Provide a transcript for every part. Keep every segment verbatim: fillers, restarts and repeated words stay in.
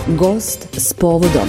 Gost s povodom.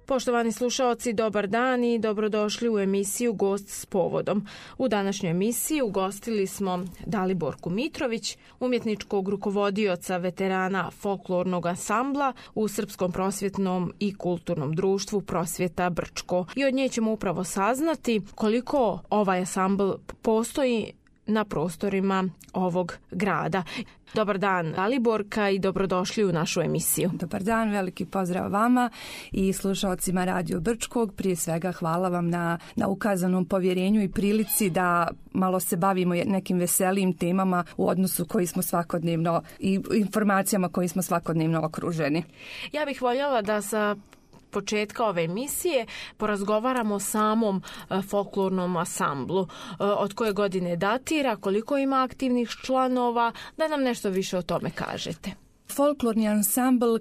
Poštovani slušaoci, dobar dan i dobrodošli u emisiju Gost s povodom. U današnjoj emisiji ugostili smo Daliborku Mitrović, umjetničkog rukovodioca veterana folklornog ansambla u Srpskom prosvjetnom i kulturnom društvu Prosvjeta Brčko. I od nje ćemo upravo saznati koliko ovaj ansambl postoji na prostorima ovog grada. Dobar dan, Daliborka, i dobrodošli u našu emisiju. Dobar dan, veliki pozdrav vama i slušalcima Radio Brčkog. Prije svega hvala vam na, na ukazanom povjerenju i prilici da malo se bavimo nekim veselijim temama u odnosu koji smo svakodnevno i informacijama koji smo svakodnevno okruženi. Ja bih voljela da sa početka ove emisije porazgovaramo o samom uh, folklornom ansamblu. Uh, od koje godine datira, koliko ima aktivnih članova, da nam nešto više o tome kažete. Folklorni ansambl uh,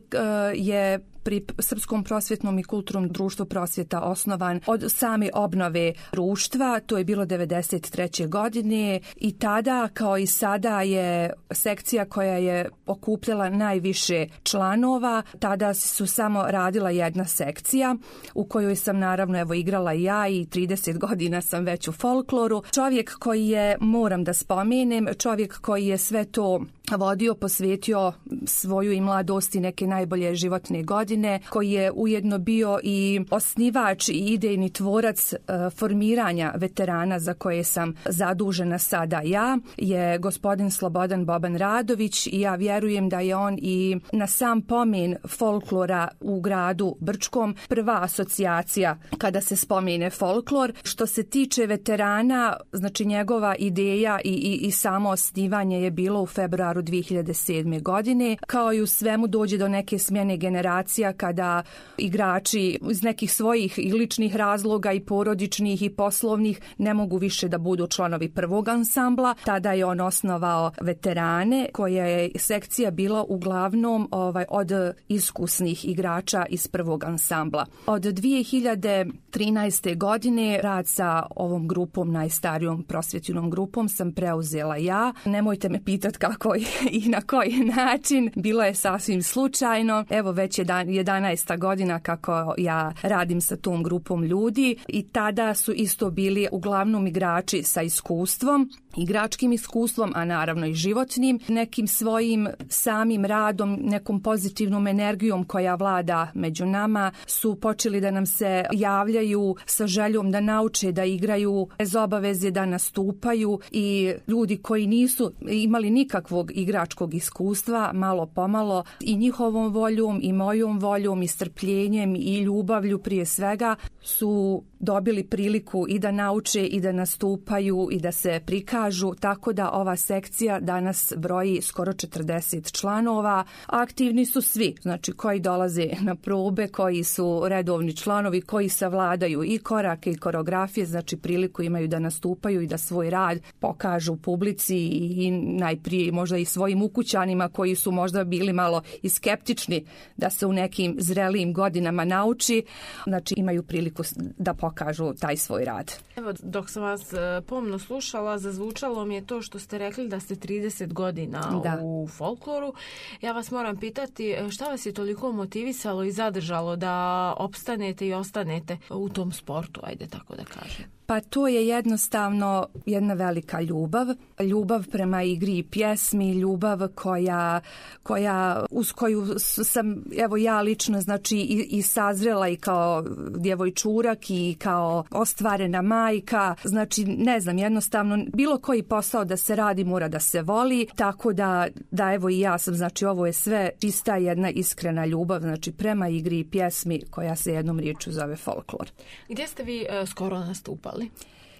je pri Srpskom prosvjetnom i kulturnom društvu Prosvjeta osnovan od same obnove društva, to je bilo devedeset treće godine i tada kao i sada je sekcija koja je okupljala najviše članova. Tada su samo radila jedna sekcija u kojoj sam naravno evo igrala i ja i trideset godina sam već u folkloru. Čovjek koji je, moram da spomenem, čovjek koji je sve to vodio, posvetio svoju i mladost i neke najbolje životne godine, koji je ujedno bio i osnivač i idejni tvorac uh, formiranja veterana za koje sam zadužena sada ja, je gospodin Slobodan Boban Radović i ja vjerujem da je on i na sam pomen folklora u gradu Brčkom prva asocijacija kada se spomene folklor. Što se tiče veterana, znači njegova ideja i, i, i samo osnivanje je bilo u februaru dvije hiljade sedme. godine. Kao i u svemu dođe do neke smjene generacija kada igrači iz nekih svojih i ličnih razloga i porodičnih i poslovnih ne mogu više da budu članovi prvog ansambla. Tada je on osnovao veterane, koja je sekcija bila uglavnom ovaj, od iskusnih igrača iz prvog ansambla. Od dvije hiljade trinaeste. godine rad sa ovom grupom, najstarijom prosvjetnom grupom, sam preuzela ja. Nemojte me pitati kako i na koji način, bilo je sasvim slučajno. Evo već jedanaesta godina kako ja radim sa tom grupom ljudi i tada su isto bili uglavnom igrači sa iskustvom, igračkim iskustvom, a naravno i životnim, nekim svojim samim radom, nekom pozitivnom energijom koja vlada među nama, su počeli da nam se javljaju sa željom da nauče da igraju bez obaveze da nastupaju i ljudi koji nisu imali nikakvog igračkog iskustva, malo pomalo i njihovom voljom i mojom voljom i strpljenjem i ljubavlju prije svega su dobili priliku i da nauče i da nastupaju i da se prikažu, tako da ova sekcija danas broji skoro četrdeset članova. Aktivni su svi, znači koji dolaze na probe, koji su redovni članovi, koji savladaju i korake i koreografije, znači priliku imaju da nastupaju i da svoj rad pokažu publici i najprije možda i svojim ukućanima koji su možda bili malo i skeptični da se u nekim zrelijim godinama nauči, znači imaju priliku da pokažu taj svoj rad. Evo, dok sam vas pomno slušala, zazvučalo mi je to što ste rekli da ste trideset godina da. u folkloru. Ja vas moram pitati šta vas je toliko motivisalo i zadržalo da opstanete i ostanete u tom sportu, ajde tako da kažem. Pa to je jednostavno jedna velika ljubav, ljubav prema igri i pjesmi, ljubav koja, koja uz koju sam, evo ja lično, znači i, i sazrela i kao djevojčurak i kao ostvarena majka, znači ne znam, jednostavno bilo koji posao da se radi mora da se voli, tako da, da evo i ja sam, znači ovo je sve čista jedna iskrena ljubav, znači prema igri i pjesmi koja se jednom riječju zove folklor. Gdje ste vi uh, skoro nastupali?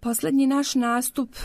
Posljednji naš nastup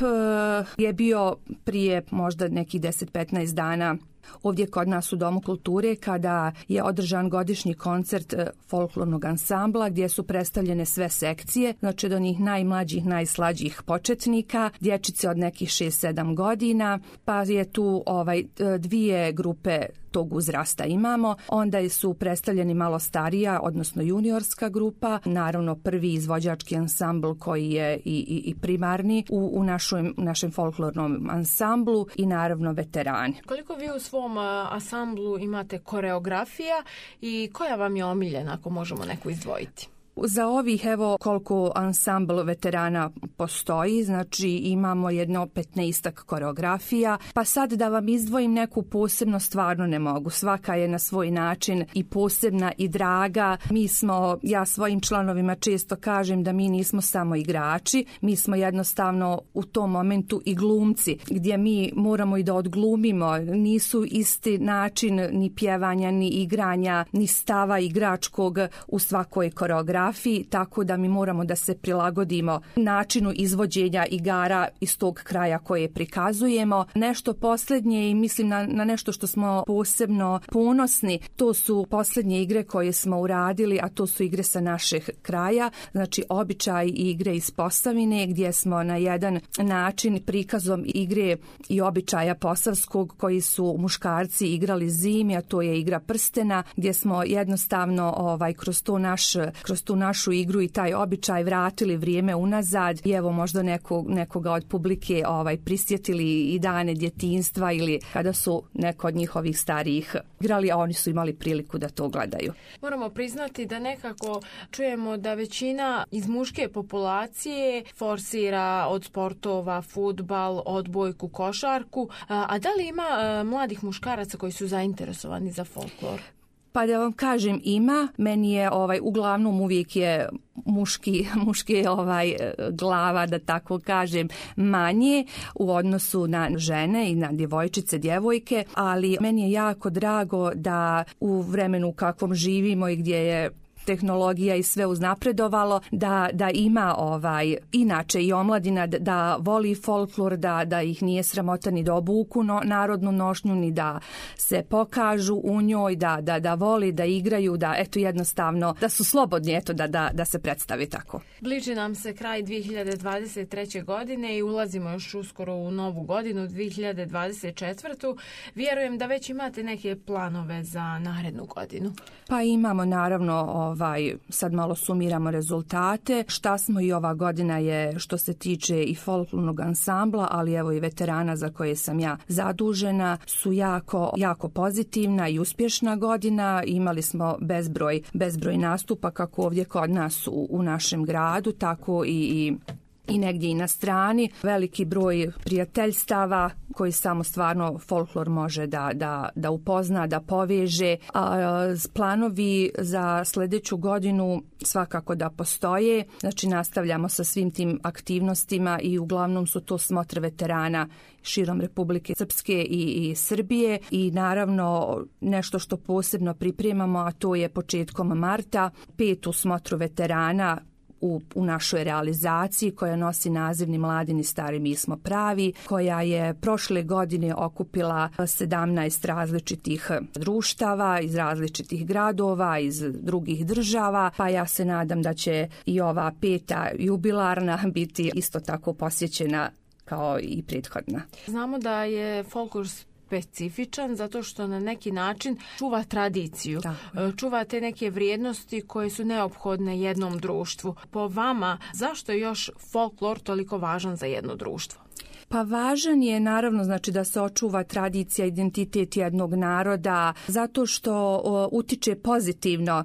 je bio prije možda nekih deset do petnaest dana ovdje kod nas u Domu kulture kada je održan godišnji koncert folklornog ansambla gdje su predstavljene sve sekcije, znači od onih najmlađih, najslađih početnika, dječice od nekih šest sedam godina, pa je tu ovaj dvije grupe tog uzrasta imamo, onda su predstavljeni malo starija, odnosno juniorska grupa, naravno prvi izvođački ansambl koji je i, i, i primarni u, u našoj, našem folklornom ansamblu i naravno veterani. Koliko vi u svom ansamblu imate koreografija i koja vam je omiljena, ako možemo neku izdvojiti? Za ovih, evo koliko ansambl veterana postoji, znači imamo jedno petnaestak koreografija, pa sad da vam izdvojim neku posebno stvarno ne mogu. Svaka je na svoj način i posebna i draga. Mi smo, ja svojim članovima često kažem da mi nismo samo igrači, mi smo jednostavno u tom momentu i glumci, gdje mi moramo i da odglumimo. Nisu isti način ni pjevanja, ni igranja, ni stava igračkog u svakoj koreografiji, tako da mi moramo da se prilagodimo načinu izvođenja igara iz tog kraja koje prikazujemo. Nešto posljednje i mislim na, na nešto što smo posebno ponosni, to su posljednje igre koje smo uradili, a to su igre sa našeg kraja, znači običaj i igre iz Posavine, gdje smo na jedan način prikazom igre i običaja posavskog koji su muškarci igrali zimi, a to je igra prstena, gdje smo jednostavno ovaj kroz to naš kroz tu našu igru i taj običaj vratili vrijeme unazad i evo možda neko, nekoga od publike ovaj prisjetili i dane djetinjstva ili kada su neko od njihovih starijih igrali, a oni su imali priliku da to gledaju. Moramo priznati da nekako čujemo da većina iz muške populacije forsira od sportova fudbal, odbojku, košarku, a da li ima mladih muškaraca koji su zainteresovani za folklor? Pa da vam kažem ima, meni je ovaj uglavnom uvijek je muški, muški ovaj glava, da tako kažem, manje u odnosu na žene i na djevojčice, djevojke, ali meni je jako drago da u vremenu u kakvom živimo i gdje je tehnologija i sve uznapredovalo, da, da ima ovaj inače i omladina da, da voli folklor, da, da ih nije sramota ni da obuku no, narodnu nošnju, ni da se pokažu u njoj, da, da, da voli, da igraju, da eto jednostavno, da su slobodni eto da, da, da se predstavi tako. Bliži nam se kraj dvije hiljade dvadeset treće. godine i ulazimo još uskoro u novu godinu, dvije hiljade dvadeset četvrtu. Vjerujem da već imate neke planove za narednu godinu. Pa imamo naravno ovaj, sad malo sumiramo rezultate. Šta smo i ova godina je što se tiče i folklornog ansambla, ali evo i veterana za koje sam ja zadužena, su jako, jako pozitivna i uspješna godina. Imali smo bezbroj, bezbroj nastupa kako ovdje kod nas u, u našem gradu, tako i, i i negdje i na strani. Veliki broj prijateljstava koji samo stvarno folklor može da, da, da upozna, da poveže. A, planovi za sljedeću godinu svakako da postoje. Znači nastavljamo sa svim tim aktivnostima i uglavnom su to smotre veterana širom Republike Srpske i, i Srbije i naravno nešto što posebno pripremamo, a to je početkom marta, petu smotru veterana U, u našoj realizaciji koja nosi naziv Ni mladi ni stari mi smo pravi, koja je prošle godine okupila sedamnaest različitih društava iz različitih gradova, iz drugih država, pa ja se nadam da će i ova peta jubilarna biti isto tako posjećena kao i prethodna. Znamo da je folklor specifičan zato što na neki način čuva tradiciju, Tako. čuva te neke vrijednosti koje su neophodne jednom društvu. Po vama, zašto je još folklor toliko važan za jedno društvo? Pa važan je naravno znači da se očuva tradicija, identitet jednog naroda, zato što o, utiče pozitivno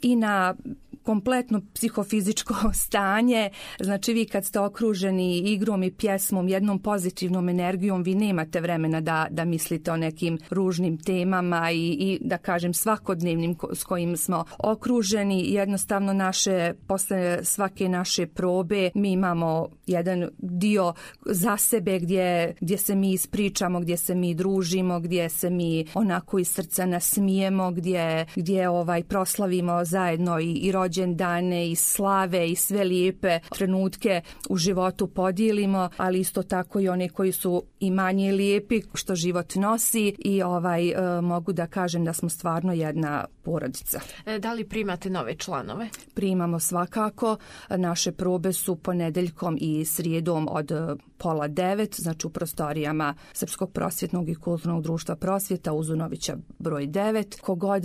i na kompletno psihofizičko stanje. Znači vi kad ste okruženi igrom i pjesmom, jednom pozitivnom energijom, vi nemate vremena da, da mislite o nekim ružnim temama i, i da kažem svakodnevnim ko, s kojim smo okruženi. Jednostavno naše, posle svake naše probe mi imamo jedan dio za sebe gdje, gdje se mi ispričamo, gdje se mi družimo, gdje se mi onako iz srca nasmijemo, gdje, gdje ovaj proslavimo zajedno i, i rođendan dane i slave i sve lijepe trenutke u životu podijelimo, ali isto tako i one koji su i manje lijepi što život nosi i ovaj e, mogu da kažem da smo stvarno jedna porodica. E, da li primate nove članove? Primamo svakako. Naše probe su ponedeljkom i srijedom od pola devet, znači u prostorijama Srpskog prosvjetnog i kulturnog društva Prosvjeta Uzunovića broj devet. Kogod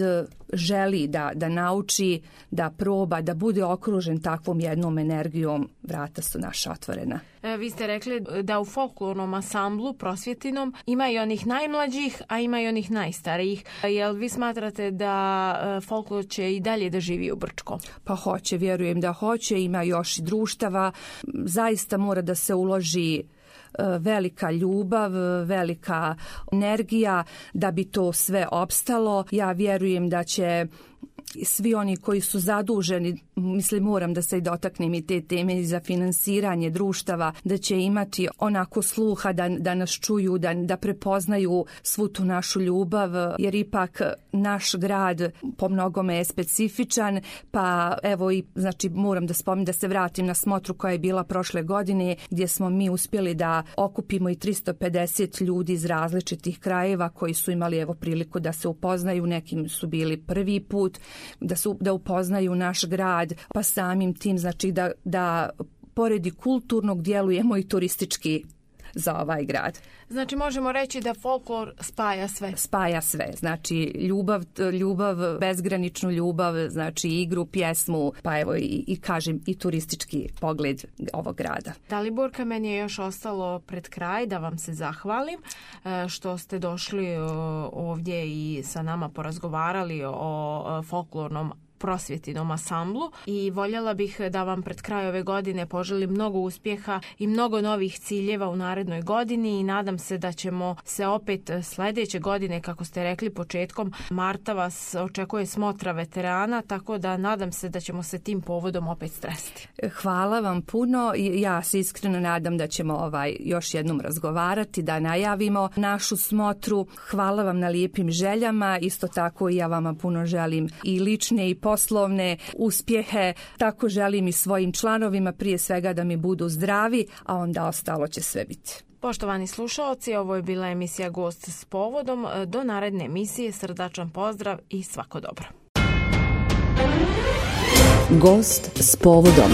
želi da, da nauči, da proba, da bude okružen takvom jednom energijom, vrata su naša otvorena. E, vi ste rekli da u folklornom ansamblu prosvjetinom ima i onih najmlađih, a ima i onih najstarijih. Jel vi smatrate da e, folklor će i dalje da živi u Brčkom? Pa hoće, vjerujem da hoće, ima još i društava. Zaista mora da se uloži velika ljubav, velika energija da bi to sve opstalo. Ja vjerujem da će svi oni koji su zaduženi, mislim moram da se i dotaknem i te teme za finansiranje društava, da će imati onako sluha da, da nas čuju, da, da prepoznaju svu tu našu ljubav, jer ipak naš grad po mnogome je specifičan, pa evo i znači moram da spomenem da se vratim na smotru koja je bila prošle godine, gdje smo mi uspjeli da okupimo i tristo pedeset ljudi iz različitih krajeva koji su imali evo priliku da se upoznaju, nekim su bili prvi put, da su da upoznaju naš grad, pa samim tim znači da da pored kulturnog djelujemo i turistički za ovaj grad. Znači možemo reći da folklor spaja sve. Spaja sve. Znači ljubav, ljubav, bezgraničnu ljubav, znači igru, pjesmu, pa evo i, i kažem i turistički pogled ovog grada. Daliborka, meni je još ostalo pred kraj da vam se zahvalim što ste došli ovdje i sa nama porazgovarali o folklornom prosvjetinom ansamblu i voljela bih da vam pred kraj ove godine poželim mnogo uspjeha i mnogo novih ciljeva u narednoj godini i nadam se da ćemo se opet sljedeće godine, kako ste rekli, početkom marta vas očekuje smotra veterana, tako da nadam se da ćemo se tim povodom opet stresiti. Hvala vam puno. Ja se iskreno nadam da ćemo ovaj još jednom razgovarati, da najavimo našu smotru. Hvala vam na lijepim željama. Isto tako i ja vama puno želim i lične i poslovne uspjehe. Tako želim i svojim članovima, prije svega da mi budu zdravi, a onda ostalo će sve biti. Poštovani slušalci, ovo je bila emisija Gost s povodom. Do naredne emisije srdačan pozdrav i svako dobro. Gost s povodom.